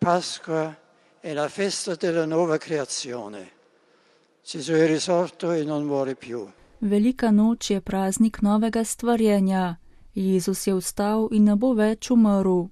Pasqua è la festa della nuova creazione. Gesù è risorto e non muore più. Velika noč je praznik novega stvarjenja. Jezus je vstal in ne bo več umrl.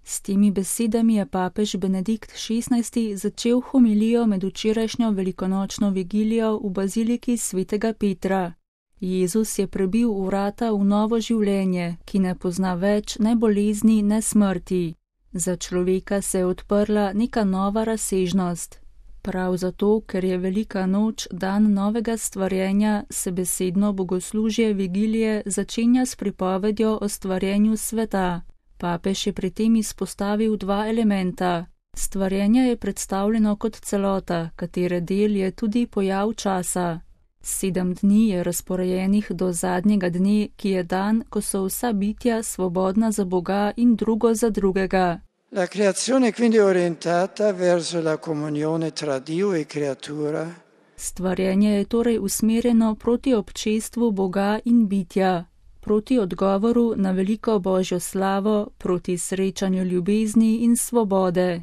S temi besedami je papež Benedikt XVI začel homilijo med včerajšnjo velikonočno vigilijo v baziliki svetega Petra. Jezus je prebil vrata v novo življenje, ki ne pozna več ne bolezni, ne smrti. Za človeka se je odprla neka nova razsežnost. Prav zato, ker je velika noč, dan novega stvarjenja, se besedno bogoslužje vigilije začenja s pripovedjo o stvarjenju sveta. Papež je pri tem izpostavil dva elementa. Stvarjenje je predstavljeno kot celota, katere del je tudi pojav časa. 7 dni je razporejenih do zadnjega dne, ki je dan, ko so vsa bitja svobodna za Boga in drugo za drugega. La creazione è quindi orientata verso la comunione tra Dio e creatura. Stvarjenje je torej usmerjeno proti občestvu Boga in bitja, proti odgovoru na veliko Božjo slavo, proti srečanju ljubezni in svobode.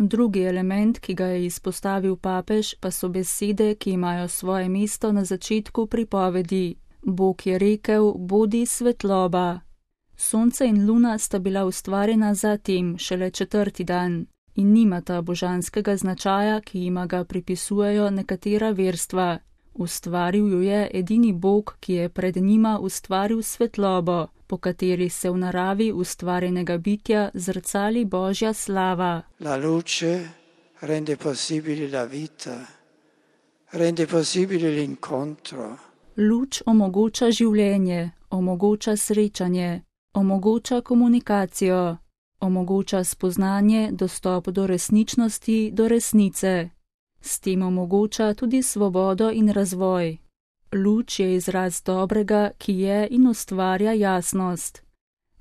Drugi element, ki ga je izpostavil papež, pa so besede, ki imajo svoje mesto na začetku pripovedi. Bog je rekel, bodi svetloba. Sonce in luna sta bila ustvarjena zatem, šele 4. dan, in nimata božanskega značaja, ki jima ga pripisujejo nekatera verstva. Ustvaril ju je edini Bog, ki je pred njima ustvaril svetlobo, po kateri se v naravi ustvarjenega bitja zrcali Božja slava. La luce rende possibile la vita, rende possibile l'incontro. Luč omogoča življenje, omogoča srečanje, omogoča komunikacijo, omogoča spoznanje, dostop do resničnosti, do resnice. S tem omogoča tudi svobodo in razvoj. Luč je izraz dobrega, ki je in ustvarja jasnost.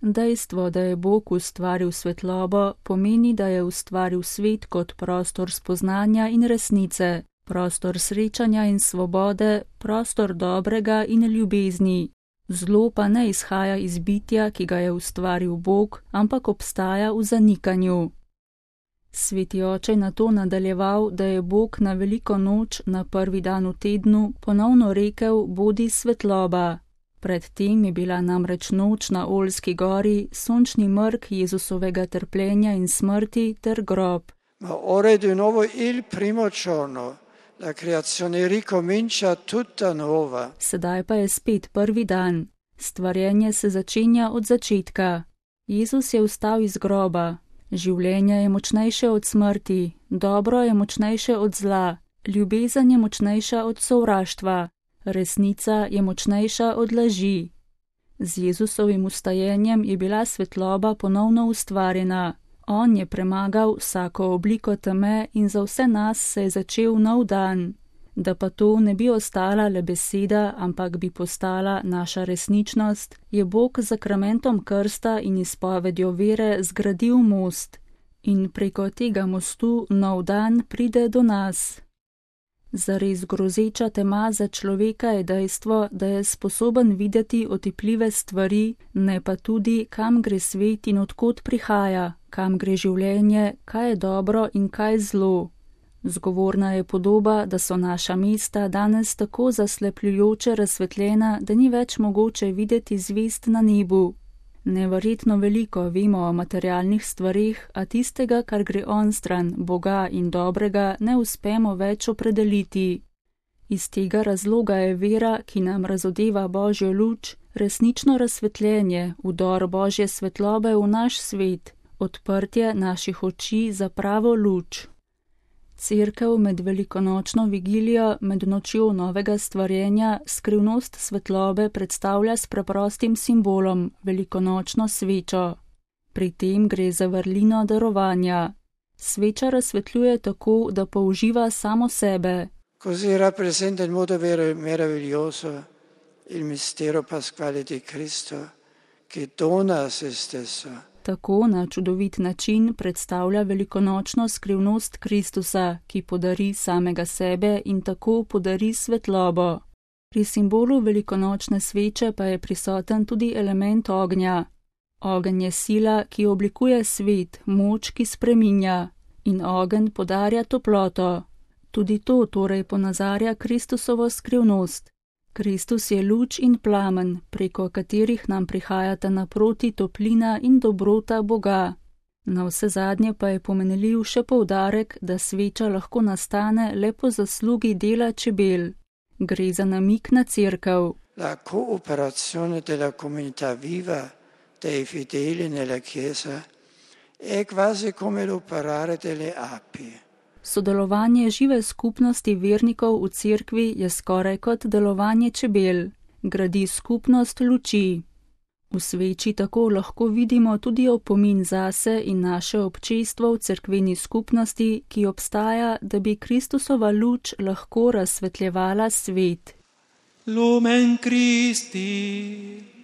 Dejstvo, da je Bog ustvaril svetlobo, pomeni, da je ustvaril svet kot prostor spoznanja in resnice, prostor srečanja in svobode, prostor dobrega in ljubezni. Zlo pa ne izhaja iz bitja, ki ga je ustvaril Bog, ampak obstaja v zanikanju. Sveti oče na to nadaljeval, da je Bog na veliko noč, na prvi dan v tednu, ponovno rekel, bodi svetloba. Predtem je bila namreč noč na Oljski gori, sončni mrk Jezusovega trpljenja in smrti ter grob. Ma ora è di nuovo il primo giorno. La creazione ricomincia tutta nuova. Sedaj pa je spet prvi dan. Stvarjenje se začenja od začetka. Jezus je vstal iz groba. Življenje je močnejše od smrti, dobro je močnejše od zla, ljubezen je močnejša od sovraštva, resnica je močnejša od laži. Z Jezusovim vstajenjem je bila svetloba ponovno ustvarjena. On je premagal vsako obliko teme in za vse nas se je začel nov dan. Da pa to ne bi ostala le beseda, ampak bi postala naša resničnost, je Bog z sakramentom krsta in izpovedjo vere zgradil most. In preko tega mostu nov dan pride do nas. Zares grozeča tema za človeka je dejstvo, da je sposoben videti otipljive stvari, ne pa tudi, kam gre svet in odkot prihaja, kam gre življenje, kaj je dobro in kaj zlo. Zgovorna je podoba, da so naša mesta danes tako zaslepljujoče razsvetljena, da ni več mogoče videti zvezd na nebu. Neverjetno veliko vemo o materialnih stvareh, a tistega, kar gre onstran, Boga in dobrega, ne uspemo več opredeliti. Iz tega razloga je vera, ki nam razodeva Božjo luč, resnično razsvetljenje, vdor Božje svetlobe v naš svet, odprtje naših oči za pravo luč. Cerkev med velikonočno vigilijo, med nočjo novega stvarjenja, skrivnost svetlobe predstavlja s preprostim simbolom, velikonočno svečo. Pri tem gre za vrlino darovanja. Sveča razsvetljuje tako, da použiva samo sebe. Così rappresenta in modo vero e meraviglioso il mistero pasquale di Cristo, che dona a se stesso. Tako na čudovit način predstavlja velikonočno skrivnost Kristusa, ki podari samega sebe in tako podari svetlobo. Pri simbolu velikonočne sveče pa je prisoten tudi element ognja. Ogenj je sila, ki oblikuje svet, moč, ki spreminja, in ogenj podarja toploto. Tudi to torej ponazarja Kristusovo skrivnost. Kristus je luč in plamen, preko katerih nam prihajata naproti toplina in dobrota Boga. Navsezadnje pa je pomenljiv še poudarek, da sveča lahko nastane le po zaslugi dela čebel. Gre za namig na cerkev. La cooperazione della comunità viva dei fedeli nella Chiesa è quasi come l'operare delle api. Sodelovanje žive skupnosti vernikov v cerkvi je skoraj kot delovanje čebel. Gradi skupnost luči. V sveči tako lahko vidimo tudi opomin zase in naše občestvo v cerkveni skupnosti, ki obstaja, da bi Kristusova luč lahko razsvetljevala svet. Lumen Christi